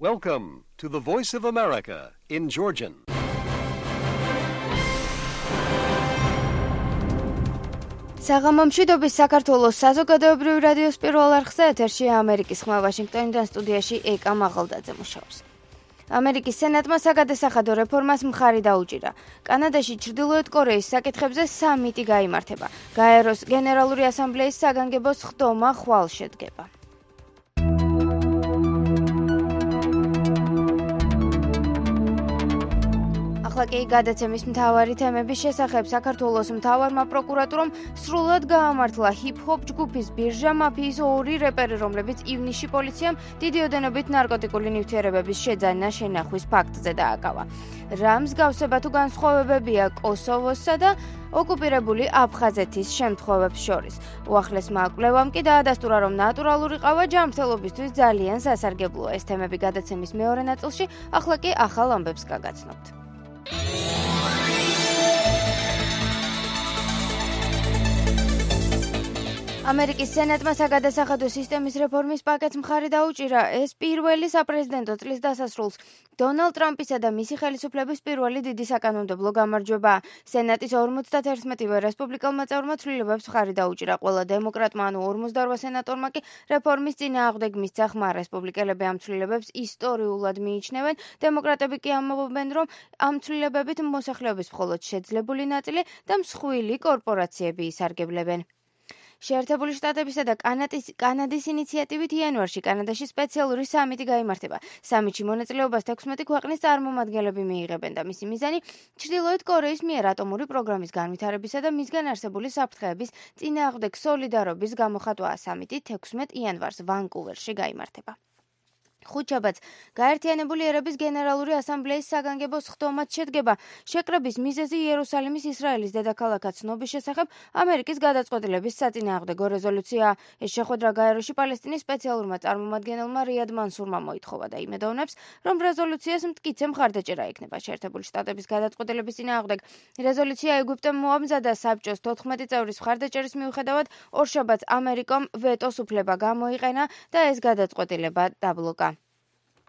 Welcome to the Voice of America in Georgian. საღამომშვიდობის საქართველოს საზოგადოებრივი რადიოს პირველ არხზე ეთერში ამერიკის ხმა ვაშინგტონიდან სტუდიაში ეკა მაღალდაძე მუშაობს. ამერიკის სენატმა საგადასახადო რეფორმას მხარი დაუჭირა. კანადაში ჩრდილოეთ კორეის საკითხებზე სამიტი გაიმართება. გაეროს გენერალური ასამბლეის საგანგებო სხდომა ხვალ შედგება. ახლა კი გადაცემის მთავარი თემების შესახებ საქართველოს მთავარმა პროკურატურამ სრულად გაამართლა ჰიპ-ჰოპ ჯგუფის ბირჟა მაფიის ორი რეპერი, რომლებიც ივნისში პოლიციამ დიდი ოდენობით ნარკოტიკული ნივთიერებების შეძენა შენახვის ფაქტზე დააკავა. რა მსგავსება თუ განსხვავებებია კოსოვოსსა და ოკუპირებული აფხაზეთის შემთხვევებს შორის. უახლესმა კვლევამ კი დაადასტურა, რომ ნატურალური ყავა ჯანმრთელობისთვის ძალიან სასარგებლოა. ეს თემები გადაცემის მეორე ნაწილში, ახლა კი ახალ ამბებს გაგაცნობთ. ამერიკის სენატმა საგადასახადო სისტემის რეფორმის პაკეტს მხარი დაუჭირა. ეს პირველი საპრეზიდენტო წლის დასასრულს დონალდ ტრამპისა და მისი ხელისუფლების პირველი დიდი საკანონმდებლო გამარჯვებაა. სენატის 51-ვე რესპუბლიკელმა წევრმა ცვლილებებს მხარი დაუჭირა. ყველა დემოკრატმა, ანუ 48 სენატორმა კი რეფორმის წინააღმდეგ მისცა ხმა. რესპუბლიკელები ამ ცვლილებებს ისტორიულად მიიჩნევენ. დემოკრატები კი ამბობენ, რომ ამ ცვლილებებით მოსახლეობის მხოლოდ შეძლებული ნაწილი და მსხვილი კორპორაციები ისარგებლებენ. შეერთებული შტატებისა და კანადის ინიციატივით იანვარში კანადაში სპეციალური სამიტი გაიმართება. სამიტში მონაწილეობას 16 ქვეყნის წარმომადგენლები მიიღებენ და მისი მიზანი ჩრდილოეთ კორეის მიერ ატომური პროგრამის განვითარებისა და მისგან არსებული საფრთხეების წინააღმდეგ სოლიდარობის გამოხატვაა. სამიტი 16 იანვარს ვანკუვერში გაიმართება. ხუთშაბათს გაერთიანებული ერების გენერალური ასამბლეის საგანგებო სხდომაც შედგება. შეკრების მიზეზი იერუსალიმის ისრაელის დედაქალაქად ცნობის შესახებ ამერიკის გადაწყვეტილების საწინააღმდეგო რეზოლუციაა. ეს შეხვედრა გაეროში პალესტინის სპეციალურმა წარმომადგენელმა რიად მანსურმა მოითხოვა და იმედოვნებს, რომ რეზოლუციას მტკიცე მხარდაჭერა ექნება. შეერთებული შტატების გადაწყვეტილების წინააღმდეგ რეზოლუცია ეგვიპტემ მოამზადა. საბჭოს 14 წევრის მხარდაჭერის მიუხედავად ორშაბათს ამერიკამ ვეტოს უფლება გამოიყენა და ეს გადაწყვეტილება დაბლოკა.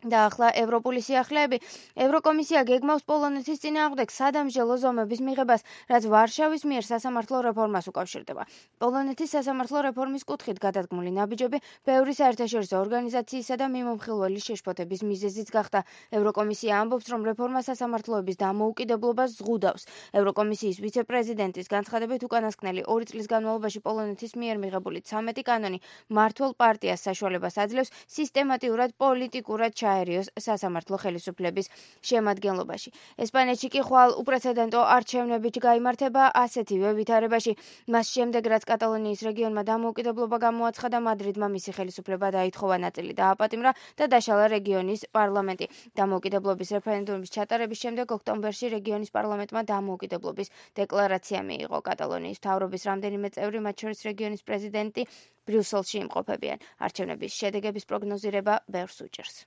და ახლა ევროპული სიახლეები. ევროკომისია გეგმავს პოლონეთის წინააღმდეგ სადამსჯელო ზომების მიღებას, რაც ვარშავის მიერ სასამართლო რეფორმას უკავშირდება. პოლონეთის სასამართლო რეფორმის კუთხით გადადგმული ნაბიჯები ბევრი საერთაშორისო ორგანიზაციისა და მიმომხილველი შეშფოთების მიზეზიც გახდა. ევროკომისია ამბობს, რომ რეფორმა სასამართლოების დამოუკიდებლობას ზღუდავს. ევროკომისიის ვიცე-პრეზიდენტის განცხადებით, უკანასკნელი 2 წლის განმავლობაში პოლონეთის მიერ მიღებული 13 კანონი მმართველ პარტიას საშუალებას აძლევს სისტემატიურად პოლიტიკურად აერიოს სასამართლო ხელისუფლების შემადგენლობაში. ესპანეთში კი ხვალ უპრეცედენტო არჩევნებით გაიმართება ასეთივე ვითარებაში. მას შემდეგ, რაც კატალონიის რეგიონმა დამოუკიდებლობა გამოაცხადა, მადრიდმა მისი ხელისუფლება დაითხოვა, ნაწილი დააპატიმრა და დაშალა რეგიონის პარლამენტი. დამოუკიდებლობის რეფერენდუმის ჩატარების შემდეგ ოქტომბერში რეგიონის პარლამენტმა დამოუკიდებლობის დეკლარაცია მიიღო. კატალონიის მთავრობის რამდენიმე წევრი, მათ შორის რეგიონის პრეზიდენტი, ბრიუსელში იმყოფებიან. არჩევნების შედეგების პროგნოზირება ბევრს უჭერს.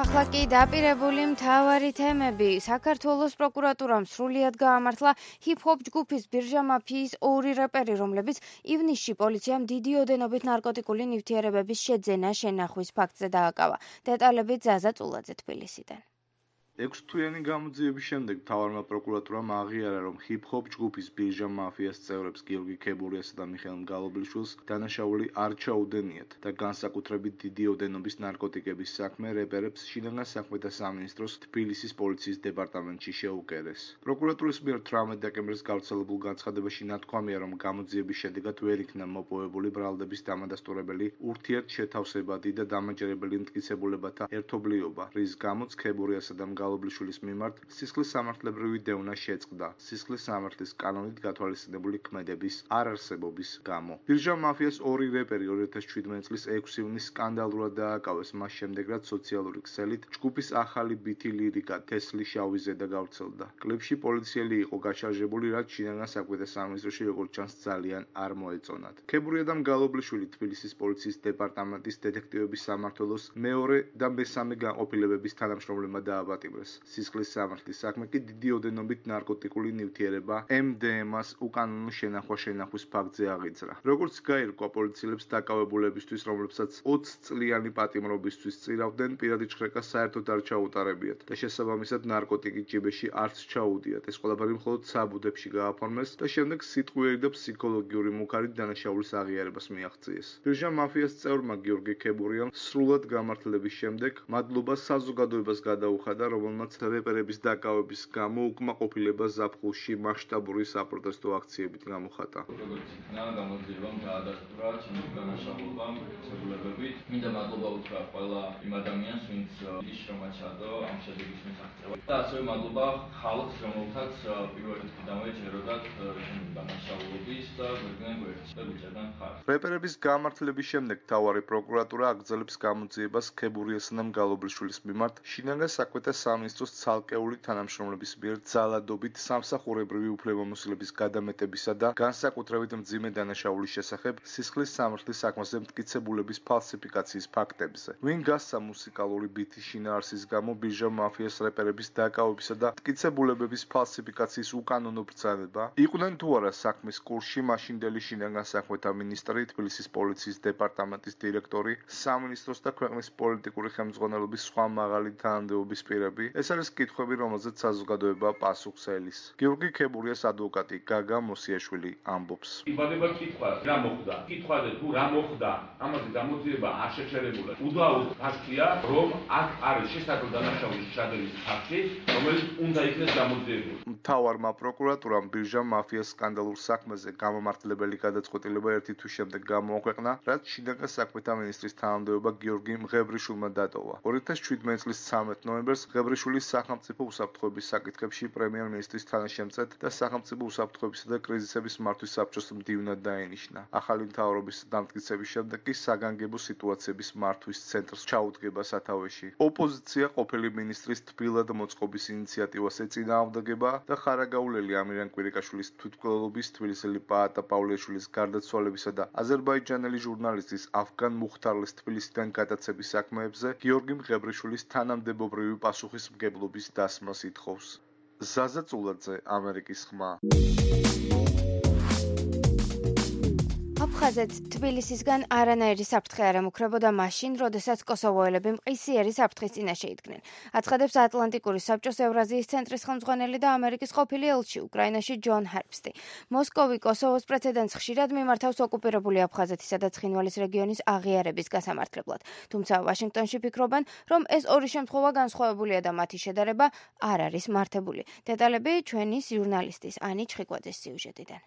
ახლა კი დაპირებული მთავარი თემები. საქართველოს პროკურატურამ სრულად გაამართლა ჰიპ-ჰოპ ჯგუფის ბირჟა მაფიის ორი რეპერი, რომლებიც ივნისში პოლიციამ დიდი ოდენობით ნარკოტიკული ნივთიერებების შეძენა შენახვის ფაქტზე დააკავა. დეტალები ზაზა წულაძე თბილისიდან. 6 თვიანი გამოძიების შემდეგ მთავარმა პროკურატურამ აღიარა, რომ ჰიპ-ჰოპ ჯგუფის ბირჟა მაფიას წევრებს გიორგი ქებურიასა და მიხეილ მგალობლიშვილს დანაშაული არ ჩაუდენიათ და განსაკუთრებით დიდი ოდენობის ნარკოტიკების საქმე რეპერებს შინაგან საქმეთა სამინისტროს თბილისის პოლიციის დეპარტამენტში შეუკერეს. პროკურატურის მიერ 18 დეკემბრის გავრცელებულ განცხადებაში ნათქვამია, რომ გამოძიების შედეგად ვერ იქნა მოპოვებული ბრალდების დამადასტურებელი ურთიერთშეთავსებადი და დამაჯერებელი მტკიცებულებათა ერთობლიობა, რის გამოც ქებურიასა და მგალობლიშვილის მიმართ სისხლის სამართლებრივი დევნა შეწყდა სისხლის სამართლის კანონით გათვალისწინებული ქმედების არარსებობის გამო. ბირჟა მაფიას ორი რეპერი 2017 წლის 6 ივნისს სკანდალურად დააკავეს, მას შემდეგ რაც სოციალური ქსელით ჯგუფის ახალი ბითი ლირიკა თესლი შავი ზედა გავრცელდა. კლიპში პოლიციელი იყო გაშარჟებული, რაც შინაგან საქმეთა სამინისტროში როგორც ჩანს ძალიან არ მოეწონათ. ქებურია და მგალობლიშვილი თბილისის პოლიციის დეპარტამენტის დეტექტივების სამმართველოს მეორე და მესამე განყოფილებების თანამშრომლებმა დააპატიმრეს. გააჩაღდეს. სისხლის სამართლის საქმე კი დიდი ოდენობით ნარკოტიკული ნივთიერება MDMA-ს უკანონო შენახვის ფაქტზე აღიძრა. როგორც გაირკვა პოლიციელებს დაკავებულებისთვის, რომლებსაც 20 წლიანი პატიმრობისთვის წირავდნენ, პირადი ჭხრეკა საერთოდ არ ჩაუტარებიათ და შესაბამისად ნარკოტიკი ჭიბეში არც ჩაუდიათ. ეს ყველაფერი მხოლოდ საბუდებში გააფორმეს და შემდეგ სიტყვიერი და ფსიქოლოგიური მუქარით დანაშაულის აღიარებას მიაღწიეს. ბირჟა მაფიას წევრმა გიორგი ქებურიამ სრულად გამართლების შემდეგ მადლობა საზოგადოებას გადაუხადა, რომელმაც რეპერების დაკავების გამო უკმაყოფილება ზაფხულში მასშტაბური საპროტესტო აქციებით გამოხატა. როგორც იქნა გამოძიებამ დაადასტურა ჩემი დანაშაულობამ ცებულებებით. მინდა მადლობა უთხრა ყველა იმ ადამიანს, ვინც შრომა ჩადო ამ შედეგის მისაღწევად. და ასევე მადლობა ხალხს, რომელთაც პირველ დღიდანვე ჯეროდათ ჩემი დანაშაულობის და გვერდიდან გვერდში და გვიჭერდნენ ხარჯს. რეპერების გამართლების შემდეგ მთავარი პროკურატურა აგრძელებს გამოძიებას ქებურიასა და მგალობლიშვილის მიმართ შინაგან საქმეთა სამინისტროს ცალკეული თანამშრომლების მიერ ძალადობით სამსახურებრივი უფლებამოსილების გადამეტებისა და განსაკუთრებით მძიმე დანაშაულის შესახებ სისხლის სამართლის საქმეზე მტკიცებულების ფალსიფიკაციის ფაქტებზე. ვინ გასცა მუსიკალური ბითის შინაარსის გამო ბირჟა მაფიას რეპერების დაკავებისა და მტკიცებულებების ფალსიფიკაციის უკანონო ბრძანება? იყვნენ თუ არა საქმის კურსში მაშინდელი შინაგან საქმეთა მინისტრი, თბილისის პოლიციის დეპარტამენტის დირექტორი, სამინისტროს და ქვეყნის პოლიტიკური ხელმძღვანელობის სხვა მაღალი თანამდებობის პირები? ეს არის კითხვები, რომელზეც საზოგადოება პასუხს ელის. გიორგი ქებურიას ადვოკატი გაგა მოსიაშვილი ამბობს. იბადება კითხვა, რა მოხდა? კითხვაზე თუ რა მოხდა, ამაზე გამოძიება არ შეჩერებულა. უდაოდ ფაქტია, რომ აქ არის შესაძლო დანაშაულის ჩადენის ფაქტი, რომელიც უნდა იქნეს გამოძიებული. მთავარმა პროკურატურამ ბირჟა მაფიას სკანდალურ საქმეზე გამომართლებელი გადაწყვეტილება ერთი თვის შემდეგ გამოაქვეყნა, რაც შინაგან საქმეთა მინისტრის თანამდებობა გიორგი მღევრიშვილმა დატოვა. 2017 წლის 13 ნოემბერს მღევრიშვილის სახელმწიფო უსაფრთხოების საკითხებში პრემიერ-მინისტრის თანაშემწედ და სახელმწიფო უსაფრთხოებისა და კრიზისების მართვის საბჭოს მდივნად დაენიშნა. ახალი მთავრობის დამტკიცების შემდეგ კი საგანგებო სიტუაციების მართვის ცენტრს ჩაუდგება სათავეში. ოპოზიცია ყოფილი მინისტრის თბილად მოწყობის ინიციატივას ეწინააღმდეგება და ხარაგაულელი ამირან კვირიკაშვილის თვითმკვლელობის, თბილისელი პაატა პავლეშვილის გარდაცვალებისა და აზერბაიჯანელი ჟურნალისტის ავგან მუხთარლის თბილისიდან გადაცების საქმეებზე გიორგი მღევრიშვილის თანამდებობრივი პასუხისმგებლობის დასმას ითხოვს. ზაზა წულაძე, ამერიკის ხმა. აფხაზეთს თბილისისგან არანაირი საფრთხე არ ემუქრებოდა მაშინ, როდესაც კოსოვოელები მყისიერი საფრთხის წინაშე იდგნენ. აცხადებს ატლანტიკური საბჭოს ევრაზიის ცენტრის ხელმძღვანელი და ამერიკის ყოფილი ელჩი უკრაინაში ჯონ ჰერბსტი. მოსკოვი კოსოვოს პრეცედენტს ხშირად მიმართავს ოკუპირებული აფხაზეთისა და ცხინვალის რეგიონის აღიარების გასამართლებლად. თუმცა ვაშინგტონში ფიქრობენ, რომ ეს ორი შემთხვევა განსხვავებულია და მათი შედარება არ არის მართებული. დეტალები ჩვენი ჟურნალისტის ანი ჩხიკვაძის სიუჟეტიდან.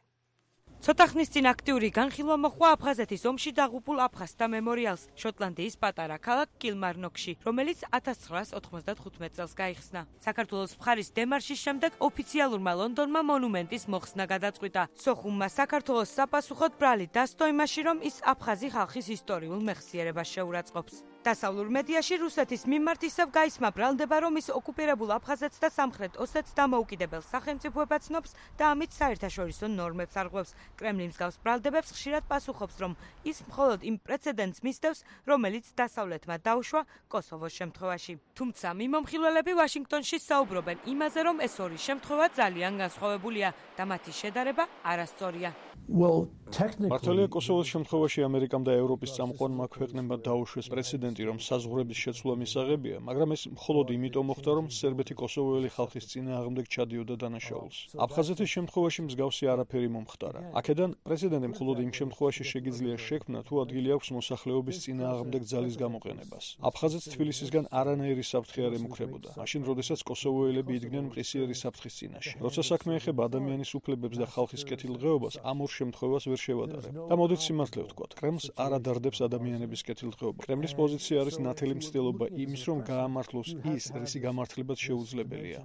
ცოტა ხნის წინ აქტიური განხილვა მოხდა აფხაზეთის ომში დაღუპულ აფხაზთა მემორიალს შოტლანდიის პატარა ქალაქ კილმარნოკში, რომელიც 1995 წელს გაიხსნა. საქართველოს მხარის დემარშის შემდეგ ოფიციალურმა ლონდონმა მონუმენტის მოხსნა გადაწყვიტა. სოხუმმა საქართველოს საპასუხოდ ბრალი დასდო იმაში, რომ ის აფხაზი ხალხის ისტორიულ მეხსიერებას შეურაცხყოფს. დასავლურ მედიაში რუსეთის მიმართ ისევ გაისმა ბრალდება, რომ ის ოკუპირებულ აფხაზეთს და სამხრეთ ოსეთს დამოუკიდებელ სახელმწიფოებად ცნობს და ამით საერთაშორისო ნორმებს არღვევს. კრემლი მსგავს ბრალდებებს ხშირად პასუხობს, რომ ის მხოლოდ იმ პრეცედენტს მისდევს, რომელიც დასავლეთმა დაუშვა კოსოვოს შემთხვევაში. თუმცა მიმომხილველები ვაშინგტონში საუბრობენ იმაზე, რომ ეს ორი შემთხვევა ძალიან განსხვავებულია და მათი შედარება არასწორია. მართალია კოსოვოს შემთხვევაში ამერიკამ და ევროპის წამყვანმა ქვეყნებმა დაუშვეს პრეცედენტი, რომ საზღვრების შეცვლა მისაღებია, მაგრამ ეს მხოლოდ იმიტომ მოხდა, რომ სერბეთი კოსოვოელი ხალხის წინააღმდეგ ჩადიოდა დანაშაულს. აფხაზეთის შემთხვევაში მსგავსი არაფერი მომხდარა. აქედან პრეცედენტი მხოლოდ იმ შემთხვევაში შეგიძლია შექმნა, თუ ადგილი აქვს მოსახლეობის წინააღმდეგ ძალის გამოყენებას. აფხაზეთს თბილისისგან არანაირი საფრთხე არ ემუქრებოდა, მაშინ როდესაც კოსოვოელები იდგნენ მყისიერი საფრთხის წინაშე. როცა საქმე ეხება ადამიანის უფლებებს და ხალხის კეთილდღეობას, ამ ორ შემთხვევას ვერ შევადარებ. და მოდით სიმართლე ვთქვათ, კრემლს არ ადარდებს ადამიანების კეთილდღეობა. კრემლის პოზიცია არის ნათელი მცდელობა იმის, რომ გაამართლოს ის, რისი გამართლებაც შეუძლებელია.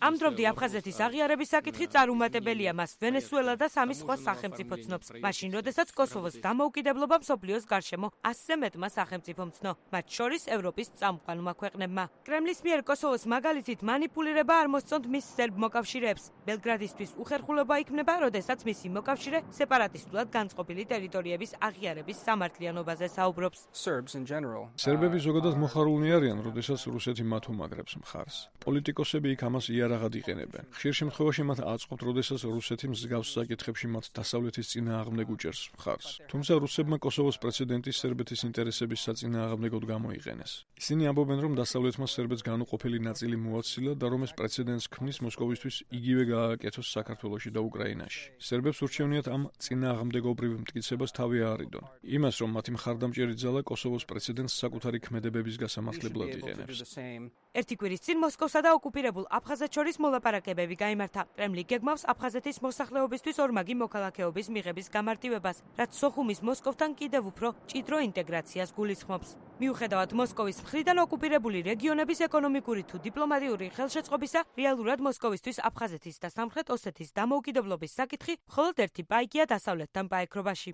ამ დრომდე აფხაზეთის აღიარების საკითხი წარუმატებელია, მას ვენესუელა და სამი სხვა სახელმწიფო ცნობს. მაშინ, როდესაც კოსოვოს დამოუკიდებლობა მსოფლიოს გარშემო 100-ზე მეტმა სახელმწიფომ ცნო, მათ შორის ევროპის წამყვანმა ქვეყნებმა. კრემლის მიერ კოსოვოს მაგალითით მანიპულირება არ მოსწონთ მის სერბ მოკავშირეებს. ბელგრადისთვის უხერხულობა იქმნება, როდესაც რომელმაც მისი მოკავშირე სეპარატისტულად განწყობილი ტერიტორიების აღიარების სამართლიანობაზე საუბრობს. სერბები ზოგადად მოხარულნი არიან, როდესაც რუსეთი მათ უმაგრებს მხარს. პოლიტიკოსები იქ ამას იარაღად იყენებენ. ხშირ შემთხვევაში მათ აწყობთ, როდესაც რუსეთი მსგავს საკითხებში მათ დასავლეთის წინააღმდეგ უჭერს მხარს. თუმცა რუსებმა კოსოვოს პრეცედენტი სერბეთის ინტერესების საწინააღმდეგოდ გამოიყენეს. ისინი ამბობენ, რომ დასავლეთმა სერბეთს განუყოფელი ნაწილი მოაცილა და რომ ეს პრეცედენტს ქმნის მოსკოვისთვის იგივე გააკეთოს საქართველოში და უკრაინაში. სერბებს ურჩევნიათ ამ წინააღმდეგობრივ მტკიცებას თავი აარიდონ. იმას, რომ მათი მხარდამჭერი ძალა კოსოვოს პრეცედენტს საკუთარი ქმედებების გასამართლებლად იყენებს. ერთი კვირის წინ მოსკოვსა და ოკუპირებულ აფხაზეთს შორის მოლაპარაკებები გაიმართა. კრემლი გეგმავს აფხაზეთის მოსახლეობისთვის ორმაგი მოქალაქეობის მიღების გამარტივებას, რაც სოხუმის მოსკოვთან კიდევ უფრო მჭიდრო ინტეგრაციას გულისხმობს. მიუხედავად მოსკოვის მხრიდან ოკუპირებული რეგიონების ეკონომიკური თუ დიპლომატიური ხელშეწყობისა, რეალურად მოსკოვისთვის აფხაზეთის და სამხრეთ ოსეთის დამოუკიდებლობის საკითხი მხოლოდ ერთი პაიკია დასავლეთთან პაექრობაში.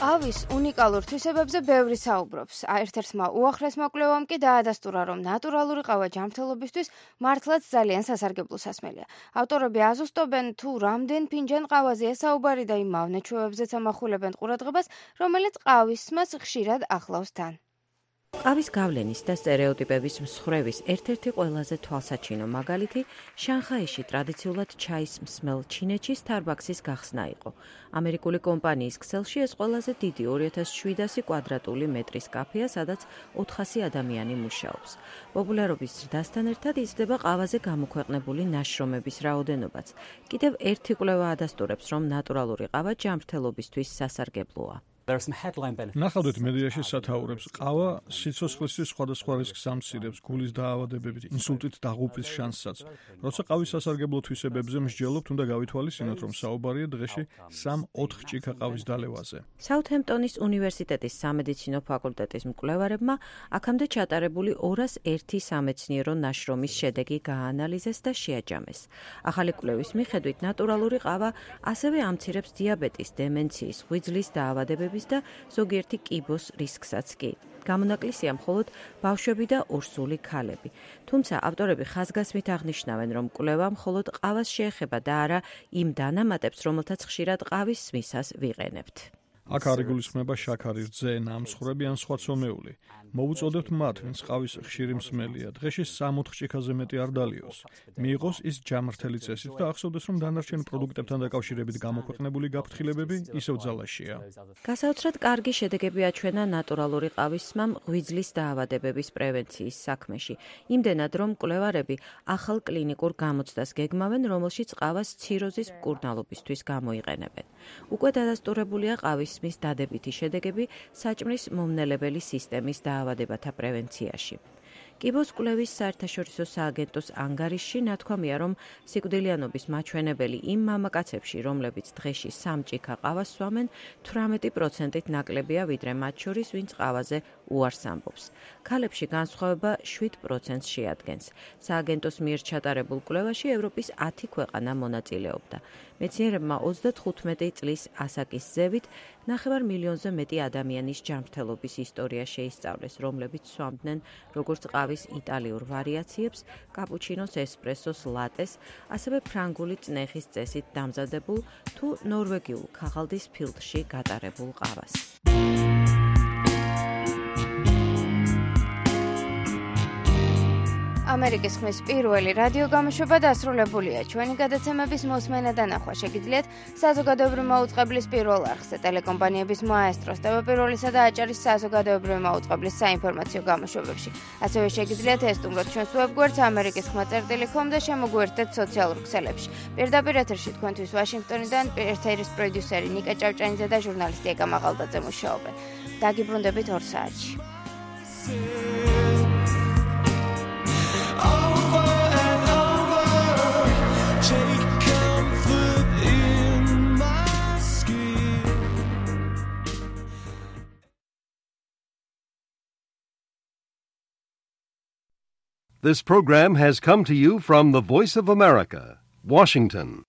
ყავის უნიკალურ თვისებებზე ბევრი საუბრობს. ერთ-ერთმა უახლესმა კვლევამ კი დაადასტურა, რომ ნატურალური ყავა ჯანმრთელობისთვის მართლაც ძალიან სასარგებლო სასმელია. ავტორები აზუსტობენ, თუ რამდენ ფინჯან ყავაზეა საუბარი და იმ მავნეჩვევებზეც ამახვილებენ ყურადღებას, რომელიც ყავის მსმას ხშირად ახლავს თან. ყავის გავლენის და სტერეოტიპების მსხვერვის ერთ-ერთი ყველაზე თვალსაჩინო მაგალითი შანხაიში ტრადიციულად ჩაის მსმელ ჩინეთში Starbucks-ის გახსნა იყო. ამერიკული კომპანიის ქსელში ეს ყველაზე დიდი 2700 კვადრატული მეტრის კაფეა, სადაც 400 ადამიანი მუშაობს. პოპულარობის ზრდასთან ერთად იზრდება ყავაზე გამოქვეყნებული ნაშრომების რაოდენობაც. კიდევ ერთი კვლევა ადასტურებს, რომ ნატურალური ყავა ჯანმრთელობისთვის სასარგებლოა. ნახავდეთ მედიაში სათაურებს. ყავა სიცოცხლისთვის სხვადასხვა რისკს ამცირებს, გულის დაავადებებით, ინსულტით დაღუპვის შანსსაც. როცა ყავის სასარგებლო თვისებებზე მსჯელობთ, უნდა გავითვალისწინოთ, რომ საუბარია დღეში 3-4 ჭიქა ყავის დალევაზე. საუთჰემპტონის უნივერსიტეტის სამედიცინო ფაკულტეტის მკვლევარებმა აქამდე ჩატარებული 201 სამეცნიერო ნაშრომის შედეგი გააანალიზეს და შეაჯამეს. ახალი კვლევის მიხედვით ნატურალური ყავა ასევე ამცირებს დიაბეტის, დემენციის, ღვიძლის დაავადებების და ზოგიერთი კიბოს რისკსაც კი. გამონაკლისია მხოლოდ ბავშვები და ორსული ქალები. თუმცა ავტორები ხაზგასმით აღნიშნავენ, რომ კვლევა მხოლოდ ყავას შეეხება და არა იმ დანამატებს, რომელთაც ხშირად ყავის სმისას ვიყენებთ. აქ არ იგულისხმება შაქარი, რძე, ნამსხვრები ან სხვა ცომეული. მოვუწოდებთ მათ, ვინც ყავის ხშირი მსმელია. დღეში 3-4 ჭიქაზე მეტი არ დალიოს. მიიღოს ის ჯანმრთელი წესით და ახსოვდეს, რომ დანარჩენ პროდუქტებთან დაკავშირებით გამოქვეყნებული გაფრთხილებები ისევ ძალაშია. გასაოცრად კარგი შედეგები აჩვენა ნატურალური ყავის სმამ ღვიძლის დაავადებების პრევენციის საქმეში. იმდენად, რომ მკვლევარები ახალ კლინიკურ გამოცდას გეგმავენ, რომელშიც ყავას ციროზის მკურნალობისთვის გამოიყენებენ. უკვე დადასტურებულია ყავის სმის დადებითი შედეგები საჭმლის მომნელებელი სისტემის დაავადებათა პრევენციაში. კიბოს კვლევის საერთაშორისო სააგენტოს ანგარიშში ნათქვამია, რომ სიკვდილიანობის მაჩვენებელი იმ მამაკაცებში, რომლებიც დღეში 3 ჭიქა ყავას სვამენ, 18%-ით ნაკლებია, ვიდრე მათ შორის, ვინც ყავაზე უარს ამბობს. ქალებში განსხვავება 7%-ს შეადგენს. სააგენტოს მიერ ჩატარებულ კვლევაში ევროპის 10 ქვეყანა მონაწილეობდა. მეცნიერებმა 35 წლის ასაკის ზევით 9 მილიონზე მეტი ადამიანის ჯანმრთელობის ისტორია შეისწავლეს, რომლებიც სვამდნენ როგორც ყავის იტალიურ ვარიაციებს, კაპუჩინოს, ესპრესოს, ლატეს, ასევე ფრანგული წნეხის წესით დამზადებულ თუ ნორვეგიულ ქაღალდის ფილტრში გატარებულ ყავას. ამერიკის ხმის პირველი რადიო გამოშვება დასრულებულია. ჩვენი გადაცემების მოსმენა და ნახვა შეგიძლიათ საზოგადოებრივი მაუწყებლის პირველ არხზე, ტელეკომპანიების მაესტროს, ტელეპიროლისა და აჭარის საზოგადოებრივი მაუწყებლის საინფორმაციო გამოშვებებში. ასევე შეგიძლიათ ესტუმროთ ჩვენს ვებგვერდს amerikis.com და შემოგვიერთდეთ სოციალურ ქსელებში. პირდაპირ ეთერში თქვენთვის ვაშინგტონიდან ეთერის პროდიუსერი ნიკა ჭავჭანიძე და ჟურნალისტი ეკა მაღალდაძე მუშაობენ. დაგიბრუნდებით 2 საათში. This program has come to you from the Voice of America, Washington.